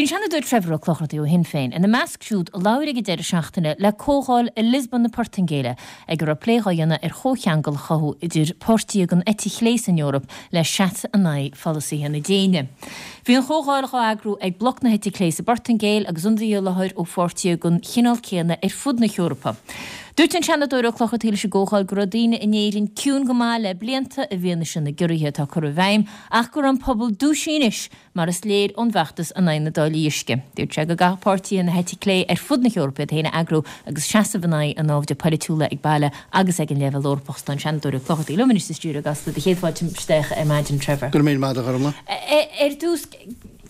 Bhí an Seanadóir Trevor Ó Clochartaigh ó Shinn Féin ina measc siúd a labhair ag an deireadh seachtaine le comhdháil i Lisbon na Portaingéile ag a raibh plé dhá dhéanamh ar chomhcheangal a chothú idir páirtithe den eite chlé san Eoraip le seasamh in aghaidh pholasaithe na déine. Bhí an chomhdháil dhá eagrú ag Bloc na hEite Clé sa bPortaingéil agus ionadaithe i láthair ó pháirtithe den chineál céanna ar fud na hEorpa. Dúirt an Seanadóir Ó Clochartaigh leis an gcomhdháil go raibh daoine in Éirinn ciúin go maith le blianta i bhfianaise na gciorruithe atá curtha i bhfeidhm ach go raibh an pobal dúisithe anois mar is léir ón bhfeachtas in aghaidh na dtáillí uisce. Dúirt sé go gcaithfeadh páirtithe na heite clé ar fud na hEorpa iad féin a eagrú agus seasamh in aghaidh an naimhde polaitiúla ag baile agus ag an leibhéal Eorpach. Tá an Seanadóir Ó Clochartaigh liom anois sa stiúideo i gCasla do chéad fáilte isteach ar maidin, Trevor. Go raibh míle maith agat, a Ghormfhlaith. Ar dtús,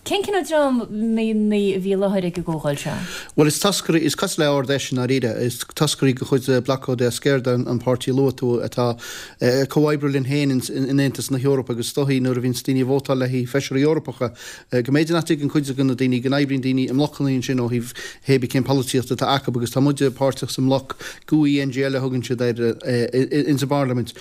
cén cineál dreamanna a bhí i láthair ag an gcomhdháil seo? Bhuel, is toscairí, is cosúil le Ard-Fheis i ndáiríre, is toscairí de chuid Bloco de Esquerda, an páirtí a luaigh tú, atá ag comhoibriú linn féin in Aontas na hEorpa agus is dóichí nuair a bhíonns daoine ag vótáil le haghaidh feisirí Eorpacha, go mb'fhéidir nach dtuigeann cuid de na daoine go n-oibríonn daoine i mblocanna ansin ó thaobh hébí cén polaitíocht atá acu agus tá muide páirteach sa mbloc GUE-NGL a thugann siad air ins an bParlaimint.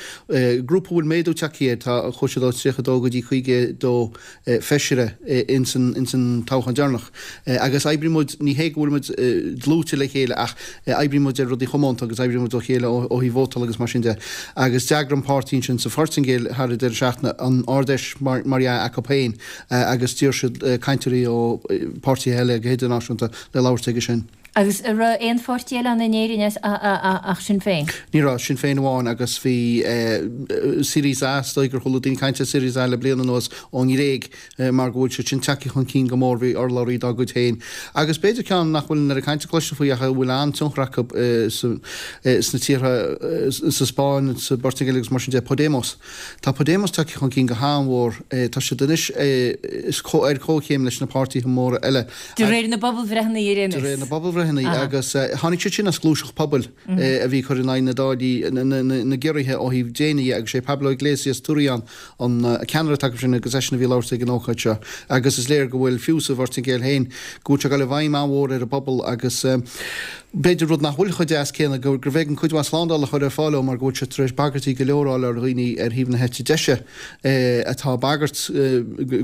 Grúpa a bhfuil méadú tagtha air, tá, chuaigh siad ó 32 go dtí 52 feisire ins an toghchán deireanach agus oibríonn muid, ní hé go bhfuil muid dlúite le chéile ach oibríonn muid ar rudaí chomónta agus oibríonn muid le chéile ó thaobh vótála agus mar sin de agus d'eagraigh an páirtí ansin sa Phortaingéil thar an deireadh seachtaine an Ard-Fheis mar dhea acu féin agus d'iarr siad cainteoirí ó pháirtithe eile go hidirnáisiúnta le labhairt aige sin. Agus an raibh aon pháirtí eile ann in Éirinn ach Sinn Féin? Ní raibh, Sinn Féin amháin agus bhí Syriza, is dóigh gur chuala daoine caint ar Syriza le bliain anuas ón nGréig mar go bhfuil siad sin tagtha chun cinn go mór, bhí urlabhraí dá gcuid féin. Agus b'fhéidir ceann nach bhfuil an oiread cainte cloiste faoi ach a bhfuil an-tionchar acu sna tíortha, sa Spáinn, sa bPortaingéil agus mar sin de, Podemos. Tá Podemos tagtha chun cinn go han-mhór. Tá siad anois ar comhchéim leis na páirtithe móra eile. De réir na bpobalbhreitheanna ar aon nós. De réir na bpobalbhreitheanna. Agus tháinig siad sin as gluaiseacht pobail a bhí ag cur in aghaidh na dtáillí, na gciorruithe ó thaobh déine dhe agus sé Pablo Iglesias Turrion an ceannaire atá acu sin agus eisean a bhí ag labhairt ag an ócáid seo. Agus is léir go bhfuil, fiú sa Phortaingéil féin, go bhfuil sé ag dul i bhfeidhm an-mhór ar an bpobal agus b'fhéidir rud nach bhfuil chomh deas céanna, gurbh éigean cuid mhaith slándála a chur ar fáil dó mar go bhfuil sé tar éis bagairtí go leor a fháil ar dhaoine ar thaobh na heite deise atá ag bagairt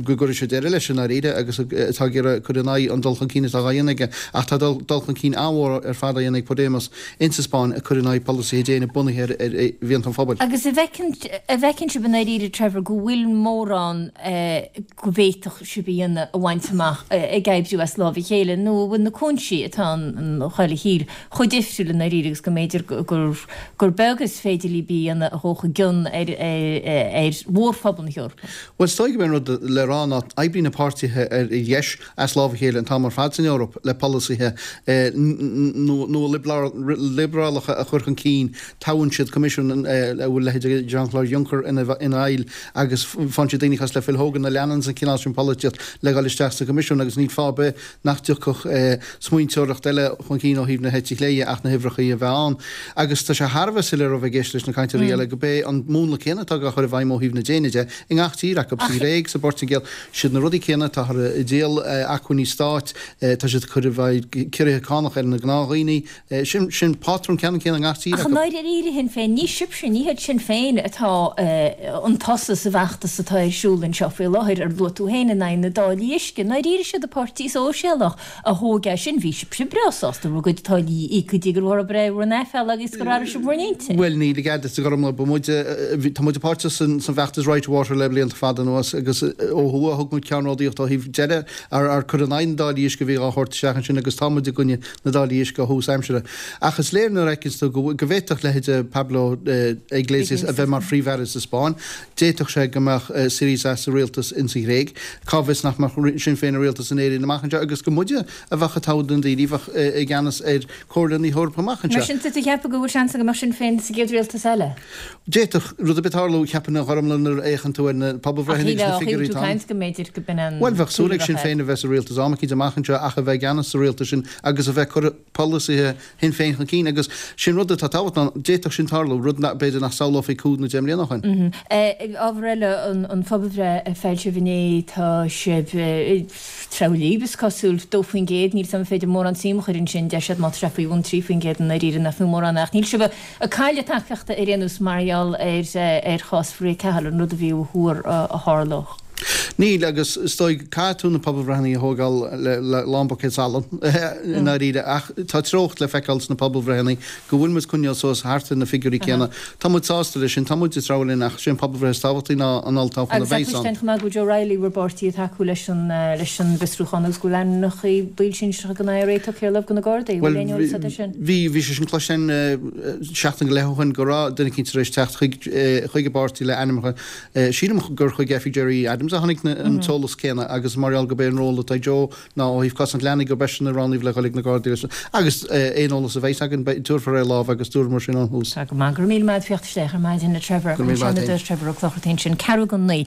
go gcuirfidh sé deireadh leis i ndáiríre agus atá ag iarraidh cur in aghaidh an dul chun cinn atá á dhéanamh aige. Ach tá dul chun cinn an-mhór ar fad á dhéanamh ag Podemos insa Spáinn ag cur in aghaidh polasaithe déine bunaithe ar mhianta an phobail. Agus an bhfeiceann sibh i ndáiríre, Trevor, go bhfuil mórán go bhféadfadh sibh a dhéanamh a bhaint amach ag oibriú as lámh a chéile, nó an bhfuil na cúinsí atá ann chuile thír chomh difriúil i ndáiríre agus go mb'fhéidir gur beag is féidir libh a dhéanamh a ghabhfadh i gcion ar mhórphobal na hEorpa? Bhuel, is dóigh gurb é an rud le rá ná oibríonn na páirtithe ar dheis as lámh a chéile an t-am ar fad san Eoraip le polasaithe nua-liobrálacha a chur chun cinn. Toghann siad coimisiún a bhfuil leithéidí Jean-Claude Juncker ina bhaill agus faigheann siad daoine cosúil le Phil Hogan a leananns an cineál sin polaitíocht le dhul isteach sa choimisiún agus níl fáth ar bith nach dtiocfadh smaointeoireacht eile chun cinn ó thaobh na heite chlé dhe ach na huimhreacha a bheith ann. Agus tá sé thar a bheith soiléir ó bheith ag éisteacht leis na cainteoirí eile go b'é an múnla céanna atá á chur i bhfeidhm ó thaobh na déine de i ngach tír acu, sa Ghréig, sa bPortaingéil, siad na rudaí céanna, táthar ag díol acmhainní stáit, tá siad ag cur i bhfeidhm ciorruithe cánach ar na gnáthdhaoine, sin, sin pátrún ceannann céanna i ngach tír Ach i acu. ndáiríre Shinn Féin, ní sibhse, ní hiad Sinn Féin atá chun tosaigh sa bhfeachtas atá ar siúl anseo faoi láthair, ar luaigh tú féin, in aghaidh na dtáillí uisce. I ndáiríre siad an páirtí sóisialach a thóg é sin, bhí sibhse breá sásta bhur gcuid táillí a íoc go dtí gur bhraith bhur n-aiféala agus gur athraigh sibh bhur n-intinn. Bhuel, níl i gcead duit a Ghormfhlaith, ba muide, tá muide páirteach san bhfeachtas Right to Water le blianta fada anuas agus ó thuaidh thug muid ceannródaíocht ó thaobh deireadh a chur in aghaidh na dtáillí uisce a bhí á thabhairt isteach ansin agus tá muid i gcoinne na dtáillí uisce ó thús aimsire. Ach is léir nuair a fheiceanns tú go bhféadfadh leithéide Pablo Iglesias a bheith mar phríomh-aire sa Spáinn, d'fhéadfadh sé go mbeadh Syriza sa rialtas insa Ghréig. Cá bhfios nach mbeadh Sinn Féin i rialtas in Éirinn amach anseo agus gur muide a bheadh ag toghadh na ndaoine a bheadh i gceannas ar Chomhairle na hEorpa amach anseo. Mar sin, tá tú ag ceapadh go bhfuil seans go mbeadh Sinn Féin sa gcéad rialtas eile? D'fhéadfadh rud ar bith tarlú, cheapfainn, a Ghormfhlaith nuair a fhéachann tú ar na pobalbhreitheanna agus na figiúirí atá ann. Go mb'fhéidir go b'in an Bhuel, bheadh súil ag Sinn Féin a bheith sa rialtas am eicínt amach anseo ach a bheith i gceannas sa rialtas sin agus a bheith ag cur polasaithe Shinn Féin chun cinn agus sin rud atá tábhachtach ná d'fhéadfadh sin tarlú, rud b'fhéidir nach samhlófaí cúig nó deich mbliana ó shin. Ábhar eile, an phobalbhreith a foilsíodh inné, tá sibh treabhadh libh, is cosúil, 2%, níl 's agam an féidir mórán suim a chur ansin, deir siad má tá sé faoi bhun 3% i ndáiríre nach fiú mórán ach níl sibh ag cailleadh tacaíochta ar aon nós mar gheall ar chás Mharia Cahill, an rud a bhí á thuar a tharlódh. Níl, agus is dóigh, caithfidh tú na pobalbhreitheanna a thógáil le lán buicéad salainn, i ndáiríre, ach tá treocht le feiceáil sna pobalbhreitheanna go bhfuil muid ag coinneáil suas thart ar na figiúirí céanna. Tá muid sásta leis sin, tá muid ag treabhadh linn ach sé an pobalbhreith is tábhachtaí ná an olltoghchán a Agus tá bheas ann. cloiste chomh maith go bhfuil Joe Reilly, bhur bpáirtí, ag tacú leis an leis an bhfiosrúchán agus go bhfuil ainmneacha baill sinsearacha den IRA tugtha ar láimh do na Gardaí. Bhfuil aon eolas agat ar sin? Bhí, bhí sé sin cloiste seachtain go leith ó shin go raibh duine eicínt tar éis teacht chuig chuig an bpáirtí le ainmneacha. Sílim gur chuig oifig Gerry Adams a tháinig an t-eolas céanna agus mar gheall gurb é an ról atá ag Joe ná ó thaobh cosaint leanaí gurb eisean a roghnaíodh le dhul ag na Gardaí leis agus aon eolas a bheas againn tabharfar ar láimh agus dúramar sin ón thús. Tá go maith. Go raibh míle maith agat as theacht isteach ar maidin a Trevor. Go raibh míle maith agat féin. Trevor Ó Clochartaigh ansin. 8:45.